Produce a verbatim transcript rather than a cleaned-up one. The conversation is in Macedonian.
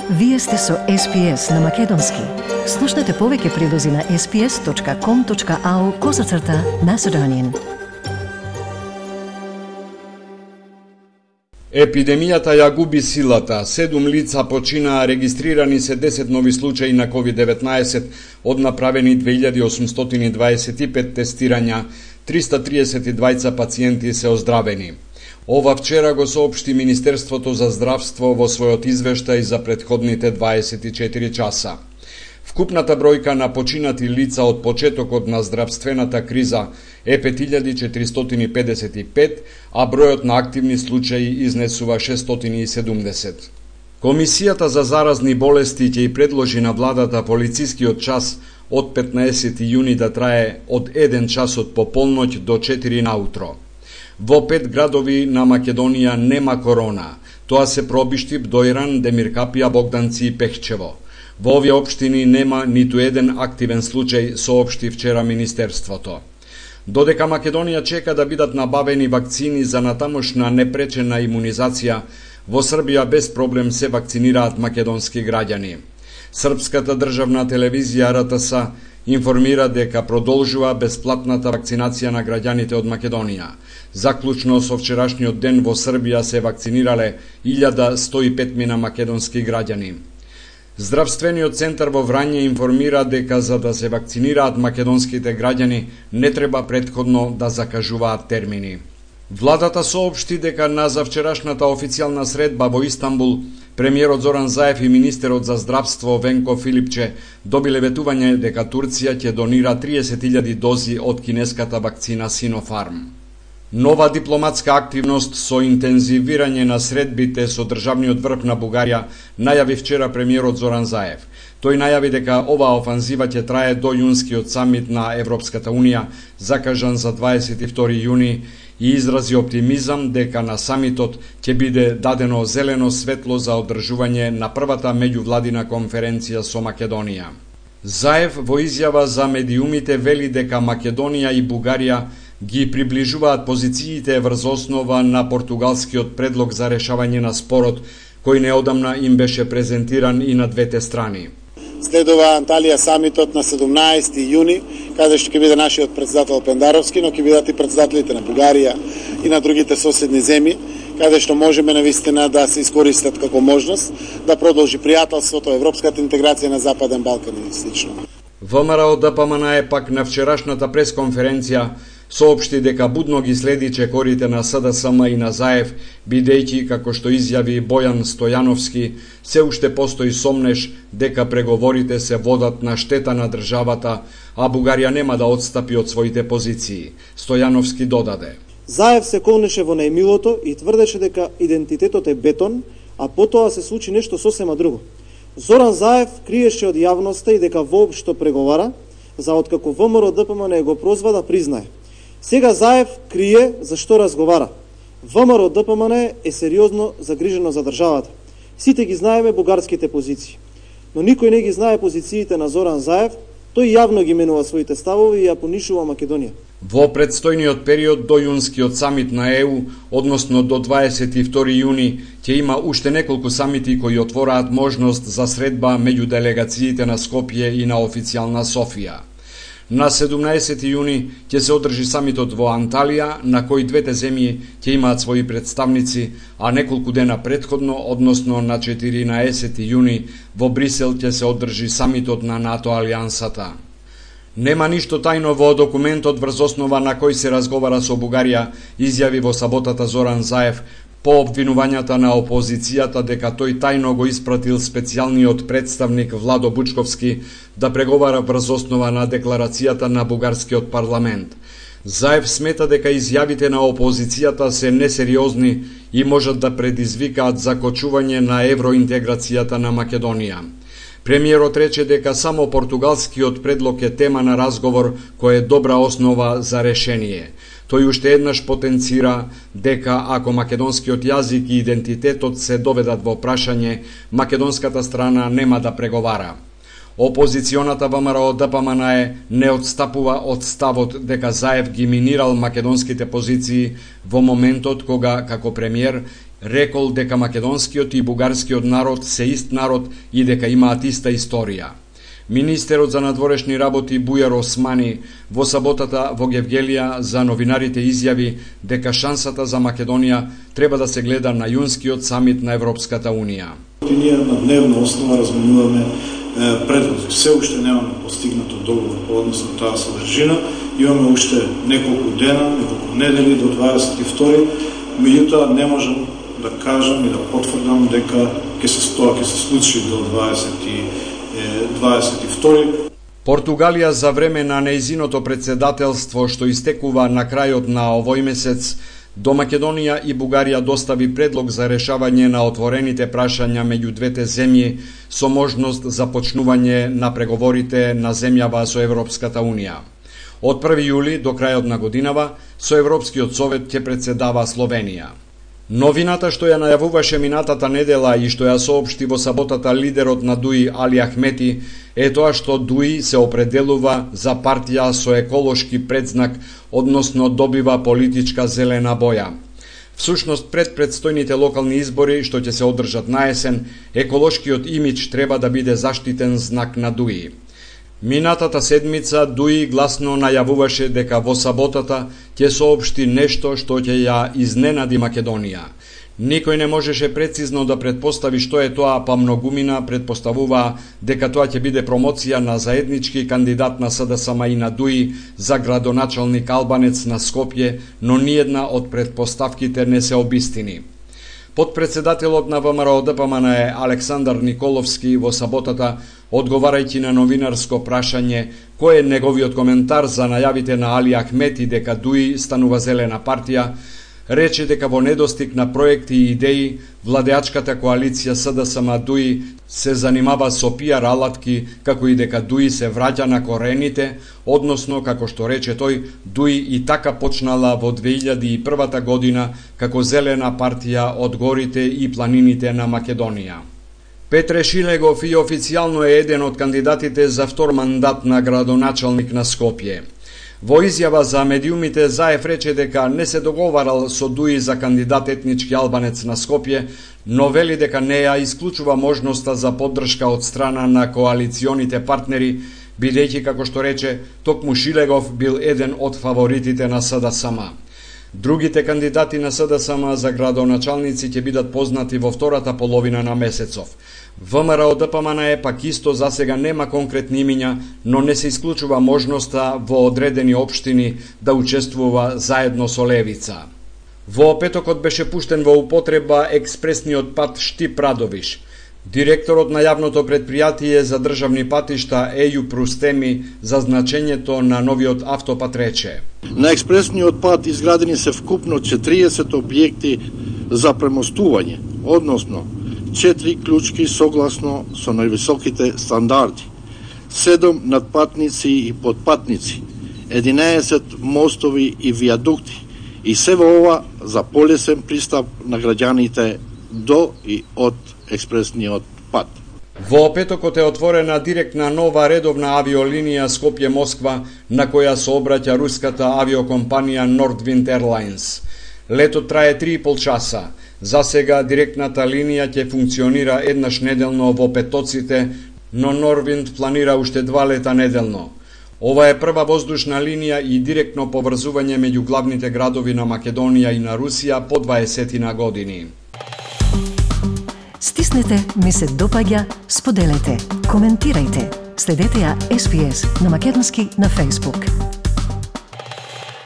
Вие сте со Ес Пи Ес на Македонски. Слушнете повеќе прилози на ес пи ес точка ком точка ау козацрта Macedonian. Епидемијата ја губи силата. Седум лица починаа, регистрирани се десет нови случаи на ковид деветнаесет, од направени две илјади осумстотини дваесет и пет тестирања, триста триесет и двајца пациенти се оздравени. Ова вчера го соопшти Министерството за здравство во својот извештај за претходните дваесет и четири часа. Вкупната бројка на починати лица од почетокот на здравствената криза е пет илјади четиристотини педесет и пет, а бројот на активни случаи изнесува шестстотини и седумдесет. Комисијата за заразни болести ќе и предложи на владата полицискиот час од петнаесети јуни да трае од еден час од пополноќ до четири наутро. Во пет градови на Македонија нема корона. Тоа се Пробишти, Бдојран, Демиркапија, Богданци и Пехчево. Во овие општини нема ниту еден активен случај, соопшти вчера Министерството. Додека Македонија чека да бидат набавени вакцини за натамошна непречена имунизација, во Србија без проблем се вакцинираат македонски граѓани. Српската државна телевизија Ар Те Ес информира дека продолжува бесплатната вакцинација на граѓаните од Македонија. Заклучно со вчерашниот ден во Србија се вакцинирале илјада сто и пет мина македонски граѓани. Здравствениот центар во Врање информира дека за да се вакцинираат македонските граѓани не треба претходно да закажуваат термини. Владата соопшти дека на завчерашната официјална средба во Истанбул премиерот Зоран Заев и министерот за здравство Венко Филипче добиле ветување дека Турција ќе донира триесет илјади дози од кинеската вакцина Синофарм. Нова дипломатска активност со интензивирање на средбите со државниот врв на Бугарија најави вчера премиерот Зоран Заев. Тој најави дека оваа офанзива ќе трае до јунскиот самит на Европската Унија, закажан за дваесет и втори јуни, и изрази оптимизам дека на самитот ќе биде дадено зелено светло за одржување на првата меѓувладина конференција со Македонија. Заев во изјава за медиумите вели дека Македонија и Бугарија ги приближуваат позициите врз основа на португалскиот предлог за решавање на спорот, кој неодамна им беше презентиран и на двете страни. Следува Анталија самитот на седумнаесети јуни, каде што ќе биде нашиот претседател Пендаровски, но ќе бидат и претседателите на Бугарија и на другите соседни земји, каде што можеме навистина да се искористат како можност да продолжи пријателството, европската интеграција на Западен Балкан и слично. ВМРО Д П М Н е пак на вчерашната пресконференција соопшти дека будно ги следи чекорите на С Д С М и на Заев, бидејќи, како што изјави Бојан Стојановски, се уште постои сомнеш дека преговорите се водат на штета на државата, а Бугарија нема да отстапи од своите позиции. Стојановски додаде: Заев се колнеше во најмилото и тврдеше дека идентитетот е бетон, а потоа се случи нешто сосема друго. Зоран Заев криеше од јавноста и дека воопшто преговара, за откако ВМРО Д П М Н го прозваа да признае. Сега Заев крие зашто разговара. ВМРО Д П М Н е сериозно загрижено за државата. Сите ги знаеме бугарските позиции, но никој не ги знае позициите на Зоран Заев. Тој јавно ги менува своите ставови и ја понишува Македонија. Во предстојниот период до јунскиот самит на Е У, односно до дваесет и втори јуни, ќе има уште неколку самити кои отвораат можност за средба меѓу делегациите на Скопје и на официјална Софија. На седумнаесети јуни ќе се одржи самитот во Анталија, на кој двете земји ќе имаат своји представници, а неколку дена претходно, односно на четиринаесети јуни, во Брисел ќе се одржи самитот на НАТО алијансата. Нема ништо тајно во документот врз основа на кој се разговара со Бугарија, изјави во саботата Зоран Заев, по обвинувањата на опозицијата дека тој тајно го испратил специјалниот представник Владо Бучковски да преговара врз основа на декларацијата на бугарскиот парламент. Заев смета дека изјавите на опозицијата се несериозни и можат да предизвикаат закочување на евроинтеграцијата на Македонија. Премиерот рече дека само португалскиот предлог е тема на разговор кој е добра основа за решение. Тој уште еднаш потенцира дека ако македонскиот јазик и идентитетот се доведат во прашање, македонската страна нема да преговара. Опозиционата ВМРО Д П М Н е не отстапува од ставот дека Заев ги минирал македонските позиции во моментот кога, како премиер, Рекол дека македонскиот и бугарскиот народ се ист народ и дека имаат иста историја. Министерот за надворешни работи Бујар Османи во саботата во Гевгелија за новинарите изјави дека шансата за Македонија треба да се гледа на јунскиот самит на Европската Унија. Ние на дневна основа разменуваме предлози. Се уште немаме постигнато договор по однос на таа содржина. Имаме уште неколку дена, неколку недели до дваесет и втори. Меѓутоа не можам да кажам и да потврдам дека ќе се тоа ќе се случи до дваесет и втори. Португалија за време на нејзиното председателство што истекува на крајот на овој месец, до Македонија и Бугарија достави предлог за решавање на отворените прашања меѓу двете земји со можност за почнување на преговорите на земјава со Европската Унија. Од први јули до крајот на годинава со Европскиот совет ќе председава Словенија. Новината што ја најавуваше минатата недела и што ја соопшти во саботата лидерот на ДУИ Али Ахмети е тоа што ДУИ се определува за партија со еколошки предзнак, односно добива политичка зелена боја. Всушност, пред предстојните локални избори што ќе се одржат на есен, еколошкиот имидж треба да биде заштитен знак на ДУИ. Минатата седмица ДУИ гласно најавуваше дека во саботата ќе соопшти нешто што ќе ја изненади Македонија. Никој не можеше прецизно да предпостави што е тоа, па многумина предпоставуваа дека тоа ќе биде промоција на заеднички кандидат на СДСМ и на ДУИ за градоначалник Албанец на Скопје, но ниедна од предпоставките не се обистини. Подпредседателот на ВМРО Д П М Н е Александар Николовски во саботата, одговарајќи на новинарско прашање кој е неговиот коментар за најавите на Али Ахмети дека ДУИ станува зелена партија, рече дека во недостиг на проекти и идеи, владеачката коалиција СДСМ ДУИ се занимава со пиар алатки, како и дека ДУИ се враќа на корените, односно, како што рече тој, ДУИ и така почнала во две илјади и првата година како зелена партија од горите и планините на Македонија. Петре Шилегов и официјално е еден од кандидатите за втор мандат на градоначалник на Скопје. Во изјава за медиумите Заев рече дека не се договарал со ДУИ за кандидат етнички албанец на Скопје, но вели дека не ја исклучува можноста за поддршка од страна на коалиционите партнери, бидејќи, како што рече, токму Шилегов бил еден од фаворитите на СДСМ. Другите кандидати на СДСМ за градоначалници ќе бидат познати во втората половина на месецов. ВМРО Д П М Н е пак исто за сега нема конкретни имиња, но не се исклучува можноста во одредени општини да учествува заедно со Левица. Во петокот беше пуштен во употреба експресниот пат Штип-Радовиш. Директорот на јавното предпријатие за државни патишта Еју Прустеми за значењето на новиот автопат рече: На експресниот пат изградени се вкупно четириесет објекти за премостување, односно четири клучки согласно со највисоките стандарди, седум надпатници и подпатници, единаесет мостови и виадукти, и се во ова за полесен пристап на граѓаните до и од експресниот пат. Во петокот е отворена директна нова редовна авиолинија Скопје-Москва, на која се обраќа руската авиокомпанија Nordwind Airlines. Летот трае три и пол часа. За сега директната линија ќе функционира еднаш неделно во петоците, но Nordwind планира уште два лета неделно. Ова е прва воздушна линија и директно поврзување меѓу главните градови на Македонија и на Русија по дваесетина години. Стиснете, ми се допаѓа, споделете, коментирајте. Следете ја Ес Би Ес на македонски на Facebook.